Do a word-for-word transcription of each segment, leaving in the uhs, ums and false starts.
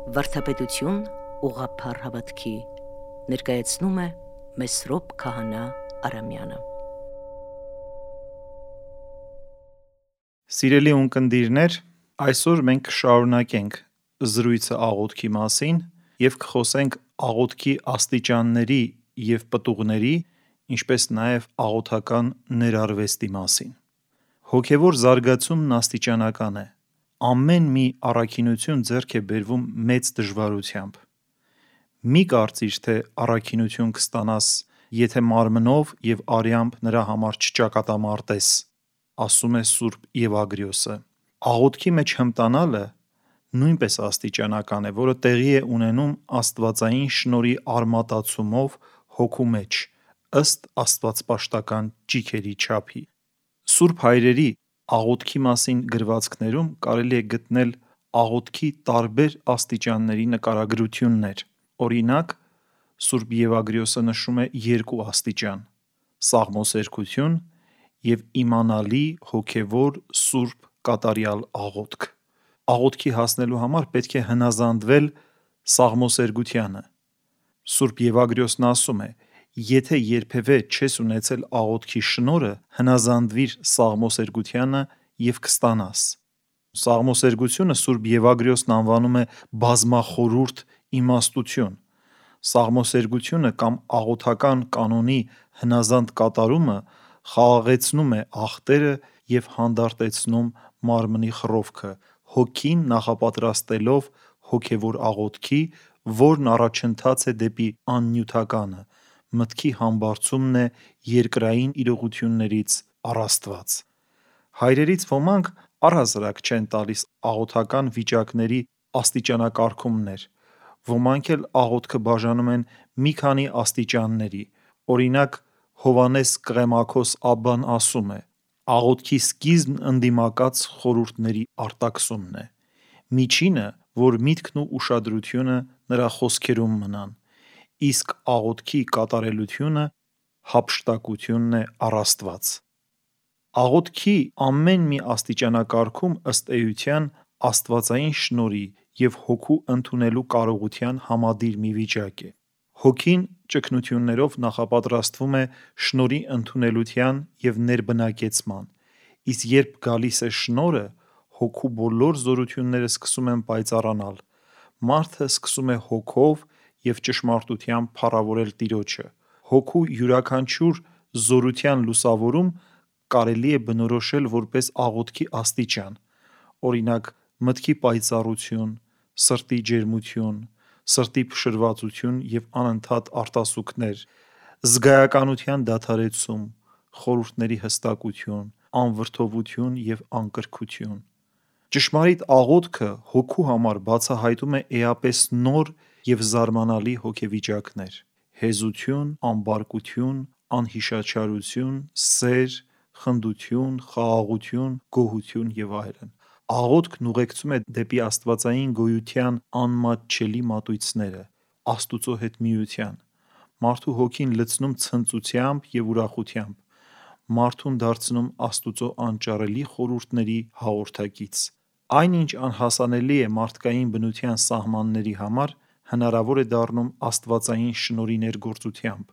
Վարդապետություն ուղղափառ հավատքի ներկայացնում է Մեսրոպ Քահանա Արամյանը։ Սիրելի ունկնդիրներ, այսօր մենք կշարունակենք զրույցը աղոթքի մասին և կխոսենք աղոթքի աստիճանների և պտուղների, ինչպես նաև աղոթական ներարվեստի մասին։ Հոգևոր զարգացումն աստիճանական է։ Ամեն մի առաքինություն ձեռք է բերվում մեծ դժվարությամբ։ Մի կարծիր, թե առաքինություն կստանաս, եթե մարմնով և արյամբ նրա համար չճակատամարտես, ասում է Սուրբ Եվագրիոսը։ Աղոթքի մեջ հմտանալը նույնպես աստիճանական է, որը տեղի է ունենում աստվածային շնորհի արմատացումով հոգու մեջ, ըստ աստվածպաշտական ճիգերի չափի։ Սուրբ հայրերի աղոթքի մասին գրվածքներում կարելի է գտնել աղոթքի տարբեր աստիճանների նկարագրություններ։ Օրինակ, Սուրբ Եվագրիոսը նշում է երկու աստիճան՝ սաղմոսերգություն և իմանալի հոգևոր սուրբ կատարյալ աղոթք։ Աղոթքի հասնելու համար պետք է հնազանդվել սաղմոսերգությանը։ Սուրբ Եվագրիոսն ասում է. «Եթե երբևէ չես ունեցել աղոթքի շնորհը, հնազանդվիր սաղմոսերգությանը և կստանաս»։ Սաղմոսերգությունը Սուրբ Եվագրիոսն անվանում է բազմախորհուրդ իմաստություն։ Սաղմոսերգությունը կամ աղոթական կանոնի հնազանդ կատարումը խաղաղեցնում է ախտերը և հանդարտեցնում մարմնի խռովքը, հոգին նախապատրաստելով հոգևոր աղոթքի, որն առաջընթաց է դեպի աննյութականը, մտքի համբարձումն է երկրային իրողություններից առ Աստված։ Հայրերից ոմանք առհասարակ չեն տալիս աղոթական վիճակների աստիճանակարգումներ, ոմանք էլ աղոթքը բաժանում են մի քանի աստիճանների։ Օրինակ, Հովհաննես Կղեմաքոս Աբբան ասում է. «Աղոթքի սկիզբն ընդդիմակաց խորհուրդների արտաքսումն է»։ Միջինը, որ միտքն ու ուշադրությունը նրա խոսքերում մնան, իսկ աղոթքի կատարելությունը հափշտակությունն է առ Աստված։ Աղոթքի ամեն մի աստիճանակարգում, ըստ էության, աստվածային շնորհի և հոգու ընդունելու կարողության համադիր մի վիճակ է։ Հոգին ճգնություններով նախապատրաստվում է շնորհի ընդունելության և ներբնակեցման, իսկ երբ գալիս է շնորհը, հոգու բոլոր զորությունները սկսում են պայծառանալ, մարդը սկսում է հոգով և ճշմարտությամբ փառավորել Տիրոջը։ Հոգու յուրաքանչյուր զորության լուսավորում կարելի է բնորոշել որպես աղոթքի աստիճան, օրինակ՝ մտքի պայծառություն, սրտի ջերմություն, սրտի փշրվածություն և անընդհատ արտասուքներ, զգայականության դադարեցում, խորհուրդների հստակություն, անվրդովություն և անկրքություն։ Ճշմարիտ աղոթքը հոգու համար բացահայտում է էապես նոր և զարմանալի հոգեվիճակներ՝ հեզություն, ամբարկություն, անհիշաչարություն, սեր, խնդություն, խաղաղություն, գոհություն և այլն։ Աղոթքն ուղեկցում է դեպի աստվածային գոյության անմատչելի մատույցները, Աստուծո հետ միության։ Մարդու հոգին լցնում ցնծությամբ և ուրախությամբ, մարդուն դարձնում Աստուծո անճարելի խորհուրդների հաղորդակից։ Այն, ինչ անհասանելի է մարդկային բնության սահմանների համար, հնարավոր է դառնում աստվածային շնորհի ներգործությամբ։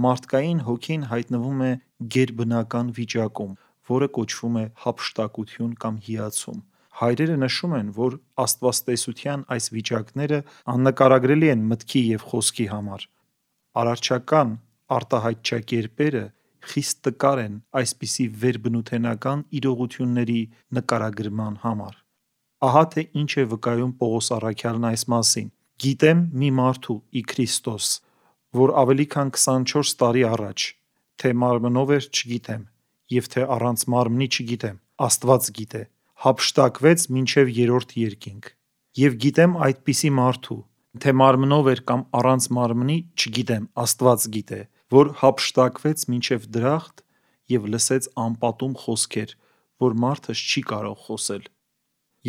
Մարդկային հոգին հայտնվում է գերբնական վիճակում, որը կոչվում է հափշտակություն կամ հիացում։ Հայրերը նշում են, որ աստվածտեսության այս վիճակները աննկարագրելի են մտքի և խոսքի համար։ Արարչական արտահայտչակերպերը խիստ տկար են այսպիսի վերբնութենական իրողությունների նկարագրման համար։ Ահա թե ինչ է վկայում Պողոս առաքյալն այս մասին. «Գիտեմ մի մարդու՝ ի Քրիստոս, որ ավելի քան քսանչորս տարի առաջ, թե մարմնով էր, չգիտեմ, և թե առանց մարմնի չգիտեմ, Աստված գիտե, հափշտակվեց մինչև երրորդ երկինք։ Եվ գիտեմ այդպիսի մարդու, թե մարմնով էր կամ առանց մարմնի, չգիտեմ, Աստված գիտե, որ հափշտակվեց մինչև դրախտ և լսեց անպատում խոսքեր, որ մարդս չի կարող խոսել»։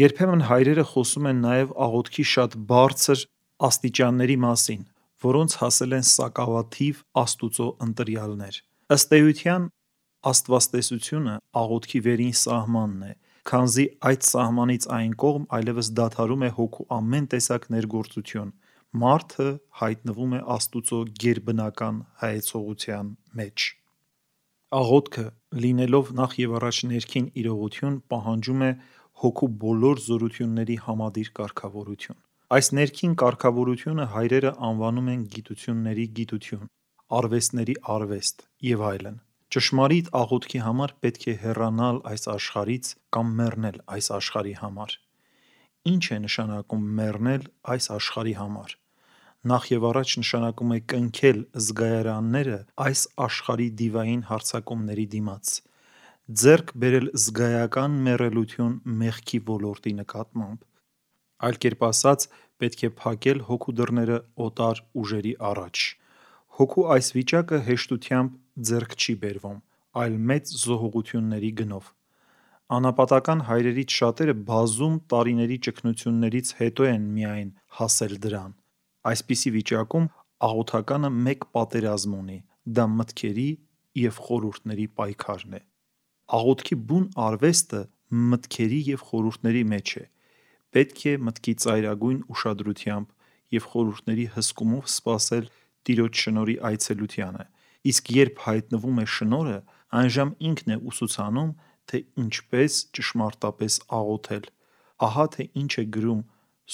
Երբեմն հայրերը խոսում են նաև աղոթքի շատ բարձր աստիճանների մասին, որոնց հասել են սակավաթիվ Աստուծո ընտրյալներ։ Ըստ էության, աստվածտեսությունը աղոթքի վերին սահմանն է քանզի այդ սահմանից այն կողմ այլևս դադարում է հոգու ամեն տեսակ ներգործություն, մարդը հայտնվում է Աստուծո գերբնական հայեցողության մեջ։ Աղոթքը, լինելով նախ եւ առաջ ներքին իրողություն, պահանջում է հոգու բոլոր զորությունների համադիր կարգավորություն։ Այս ներքին կարգավորությունը հայրերը անվանում են գիտությունների գիտություն, արվեստների արվեստ եւ այլն։ Ճշմարիտ աղոթքի համար պետք է հեռանալ այս աշխարհից կամ մեռնել այս աշխարհի համար։ Ինչ է նշանակում մեռնել այս աշխարհի համար։ Նախ եւ առաջ նշանակում է կնքել զգայարանները այս աշխարհի դիվային հարձակումների դիմաց, ձեռք բերել զգայական մեռելություն մեղքի ոլորտի նկատմամբ։ Այլ կերպ ասած, պետք է փակել հոգու դռները օտար ուժերի առաջ։ Հոգու այս վիճակը հեշտությամբ ձեռք չի բերվում, այլ մեծ զոհողությունների գնով։ Անապատական հայրերից շատերը բազում տարիների ճգնություններից հետո են միայն հասել դրան։ Այսպիսի վիճակում աղոթականը մեկ պատերազմ ունի, դա մտքերի և խորհուրդների պայքարն է։ Աղոթքի բուն արվեստը մտքերի և խորհուրդների մեջ է։ Պետք է մտքի ծայրագույն ուշադրությամբ և խորհուրդների հսկումով սպասել Տիրոջ շնորհի այցելությանը, իսկ երբ հայտնվում է շնորհը, այժմ ինքն է ուսուցանում, թե ինչպես ճշմարտապես աղոթել։ Ահա թե ինչ է գրում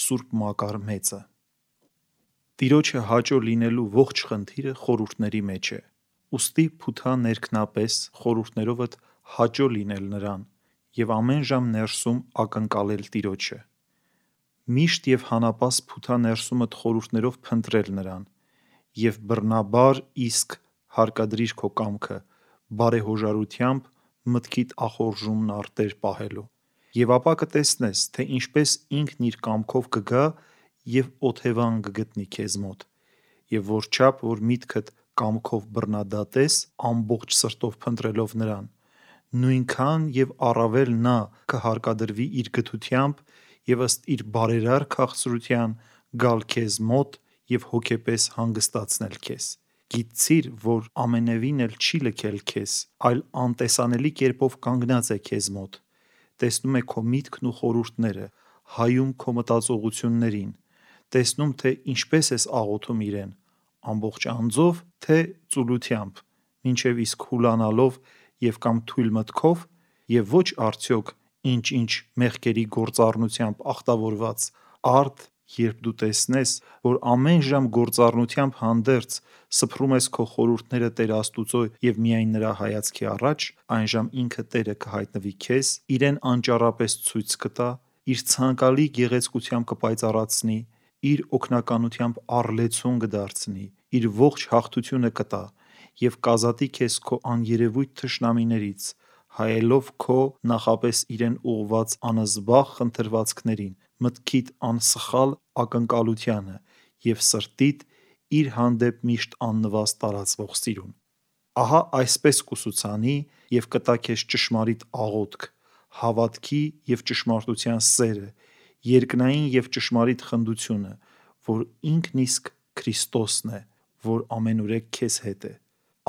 Սուրբ Մակար մեծը. Տիրոջը հաճո լինելու ողջ խնդիրը խորհուրդների մեջ է։ Ուստի փութա ներքնապես խորհուրդներովդ հաճո լինել նրան և ամեն ժամ ներսում ակնկալել Տիրոջը։ Միշտ և հանապաս փութա ներսումդ խորհուրդներով փնտրել նրան և բռնաբար իսկ հարկադրիր քո կամքը, բարեհոժարությամբ մտքիդ ախորժումն արտեր պահելու։ Եվ ապա կտեսնես, թե ինչպես ինքն իր կամքով կգա և օթևան կգտնի քեզ մոտ, և որչափ որ միտքդ կամքով բռնադատես ամբողջ սրտով փնտրելով նրան, նույնքան և առավել նա կհարկադրվի իր գթությամբ և ըստ իր բարերար քաղցրության գալ քեզ մոտ և հոգեպես հանգստացնել քեզ։ Գիտցիր, որ ամենևին էլ չի լքել քեզ, այլ անտեսանելի կերպով կանգնած է քեզ մոտ, տեսնում է քո միտքն ու խորհուրդները, հայում քո մտածողություններին, տեսնում, թե ինչպես ես աղոթում իրեն, ամբողջ անձով, թե ծուլությամբ, մինչև իսկ հուլանալով և կամ թույլ մտքով, և ոչ արդյոք ինչ-ինչ մեղքերի գործառնությամբ ախտավորված, արդ, երբ դու տեսնես, որ ամեն ժամ գործառնությամբ հանդերձ սփռում ես քո խորհուրդները Տեր Աստուծո և միայն նրա հայացքի առաջ, այնժամ ինքը Տերը կհայտնվի քեզ, իրեն անճառապես ցույց կտա, իր ցանկալի գեղեցկությամբ կպայծառացնի, իր օգնականությամբ առլեցուն կդարձնի, իր ողջ հաղթությունը կտա և կազատի քեզ քո աներևույթ թշնամիներից, հայելով քո նախապես իրեն ուղղված անզբաղ խնդրվածքներին, մտքիդ անսխալ ակնկալությանը և սրտիդ իր հանդեպ միշտ աննվաստ տարածվող սիրուն։ Ահա այսպես կուսուցանի և կտա քեզ ճշմարիտ աղոթք, հավատքի և ճշմարտության սերը, երկնային և ճշմարիտ խնդությունը, որ ինքն իսկ Քրիստոսն է, որ ամենուրեք քեզ հետ է։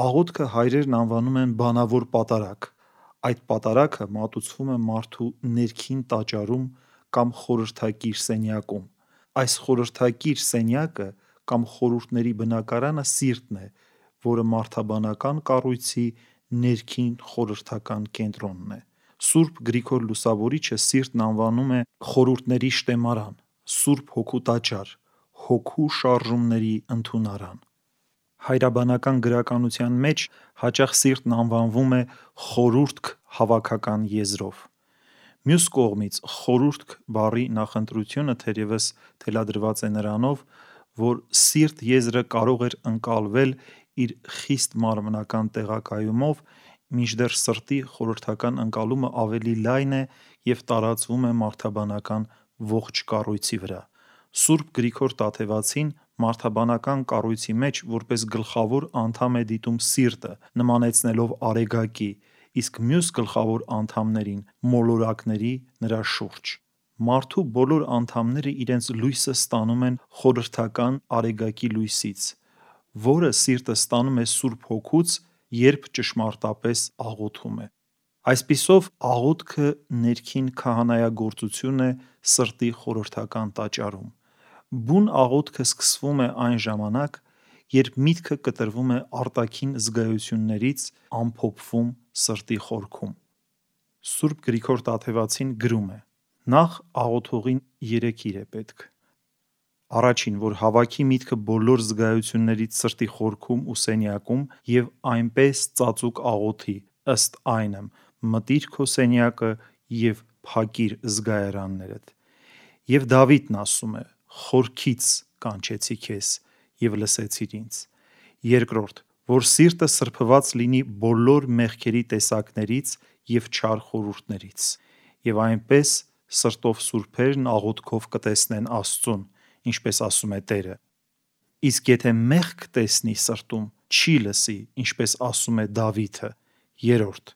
Աղոթքը հայրերն անվանում են բանավոր պատարագ։ Այդ պատարագը մատուցվում է մարդու ներքին տաճարում կամ խորհրդակիր սենյակում։ Այս խորհրդակիր սենյակը կամ խորհուրդների բնակարանը սիրտն է, որը մարդաբանական կառույցի ներքին խորհրդական կենտրոնն է։ Սուրբ Գրիգոր Լուսավորիչը սիրտն անվանում է խորհուրդների շտեմարան, Սուրբ Հոգու տաճար, հոգու շարժումների ընդունարան։ Հայրաբանական գրականության մեջ հաճախ սիրտն անվանվում է խորհուրդք հավաքական եզրով։ Մյուս կողմից, խորհուրդք բառի նախընտրությունը թերևս թելադրված է նրանով, որ սիրտ եզրը կարող էր ընկալվել իր խիստ մարմնական տեղակայումով, մինչդեռ սրտի խորհրդական ընկալումը ավելի լայն է և տարածվում է մարդաբանական ողջ կառույցի վրա։ Սուրբ Գրիգոր Տաթևացին մարդաբանական կառույցի մեջ որպես գլխավոր անդամ է դիտում սիրտը, նմանեցնելով արեգակի, իսկ մյուս գլխավոր անդամներին մոլորակների նրա շուրջ։ Մարդու բոլոր անդամները իրենց լույսը ստանում են խորհրդական արեգակի լույսից, որը սիրտը ստանում է Սուրբ Հոգուց, երբ ճշմարտապես աղոթում է։ Այսպիսով աղոթքը ներքին քահանայագործություն է սրտի խորհրդական տաճարում։ Բուն աղոթքը սկսվում է այն ժամանակ, երբ միտքը կտրվում է արտաքին զգայություններից, ամփոփվում սրտի խորքում։ Սուրբ Գրիգոր Տաթևացին գրում է. նախ աղոթողին երեք իր է պետք. Առաջին, որ հավաքի միտքը բոլոր զգայություններից սրտի խորքում ու սենյակում և այնպես ծածուկ աղոթի, ըստ այնմ, մտիր քո սենյակը և փակիր զգայարաններդ։ Եվ Դավիթն ասում է. խորքից կանչեցի քեզ և լսեցիր ինձ։ Երկրորդ, որ սիրտը սրբված լինի բոլոր մեղքերի տեսակներից և չար խորհուրդներից, և այնպես սրտով սուրբերն աղոթքով կտեսնեն Աստծուն, ինչպես ասում է Տերը։ Իսկ եթե մեղք տեսնի սրտում, չի լսի, ինչպես ասում է Դավիթը։ Երրորդ,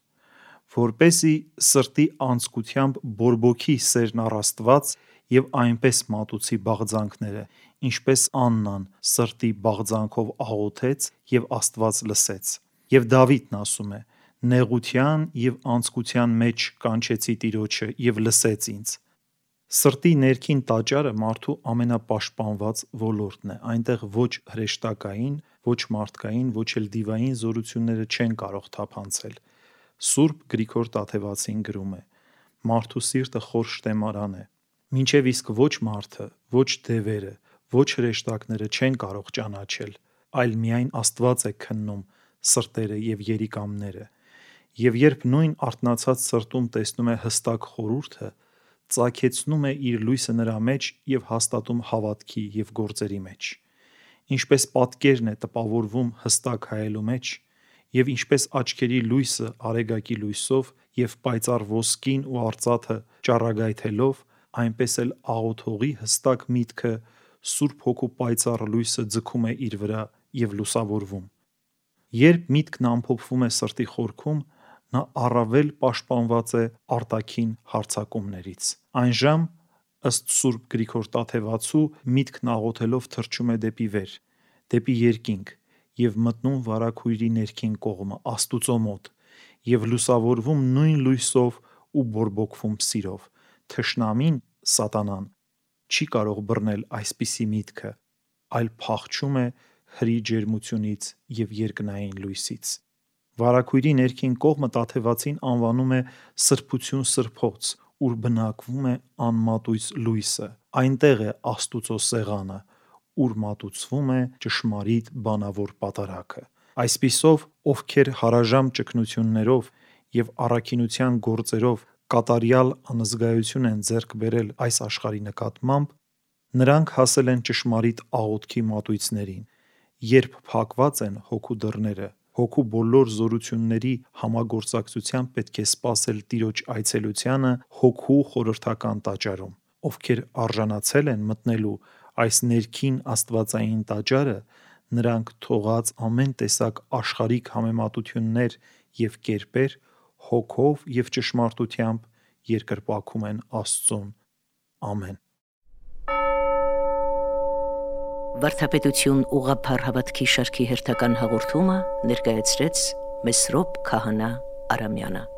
որպեսզի սրտի անձկությամբ բորբոքի սերն առ Աստված և այնպես մատուցի բաղձանքները, ինչպես Աննան սրտի բաղձանքով աղոթեց և Աստված լսեց։ Եվ Դավիթն ասում է. նեղության և անձկության մեջ կանչեցի Տիրոջը և լսեց ինձ։ Սրտի ներքին տաճարը մարդու ամենապաշտպանված ոլորտն է, այնտեղ ոչ հրեշտակային, ոչ մարդկային, ոչ էլ դիվային զորությունները չեն կարող թափանցել։ Սուրբ Գրիգոր Տաթևացին գրում է. մարդու սիրտը խոր շտեմարան է, մինչև իսկ ոչ մարդը, ոչ դևերը, ոչ հրեշտակները չեն կարող ճանաչել, այլ միայն Աստված է քննում սրտերը և երիկամները։ Եվ երբ նույն արթնացած սրտում տեսնում է հստակ խորհուրդը, ծագեցնում է իր լույսը նրա մեջ և հաստատում հավատքի և գործերի մեջ։ Ինչպես պատկերն է տպավորվում հստակ հայելու մեջ, և ինչպես աչքերի լույսը արեգակի լույսով և պայծառ ոսկին ու արծաթը ճառագայթելով, այնպես էլ աղոթողի հստակ միտքը Սուրբ Հոգու պայծառ լույսը ձգում է իր վրա և լուսավորվում։ Երբ միտքն ամփոփվում է սրտի խորքում, նա առավել պաշտպանված է արտաքին հարձակումներից։ Այնժամ, ըստ Սուրբ Գրիգոր Տաթևացու, միտքն աղոթելով թռչում է դեպի վեր, դեպի երկինք և մտնում վարագույրի ներքին կողմը, Աստուծո մոտ, և լուսավորվում նույն լույսով ու բորբոքվում սիրով։ Թշնամին՝ սատանան, չի կարող բռնել այսպիսի միտքը, այլ փախչում է հրի ջերմությունից և երկնային լույսից։ Վարագույրի ներքին կողմը Տաթևացին անվանում է սրբություն սրբոց, ուր բնակվում է անմատույց լույսը, այնտեղ է Աստուծո սեղանը, ուր մատուցվում է ճշմարիտ բանավոր պատարագը։ Այսպիսով, ովքեր հարաժամ ճգնություններով և առաքինության գործերով կատարյալ անզգայություն են ձեռք բերել այս աշխարհի նկատմամբ, նրանք հասել են ճշմարիտ աղոթքի մատույցներին, երբ փակված են հոգու դռները, հոգու բոլոր զորությունների համագործակցությամբ պետք է սպասել Տիրոջ այցելությանը հոգու խորհրդական տաճարում։ Ովքեր արժանացել են մտնելու այս ներքին աստվածային տաճարը, նրանք թողած ամեն տեսակ աշխարհիկ համեմատություններ և կերպեր, հոգով և ճշմարտությամբ երկրպագում են Աստծուն։ Ամեն։ Վարդապետություն ուղղափառ հավատքի շարքի հերթական հաղորդումը ներկայացրեց Մեսրոպ Քահանա Արամյանը։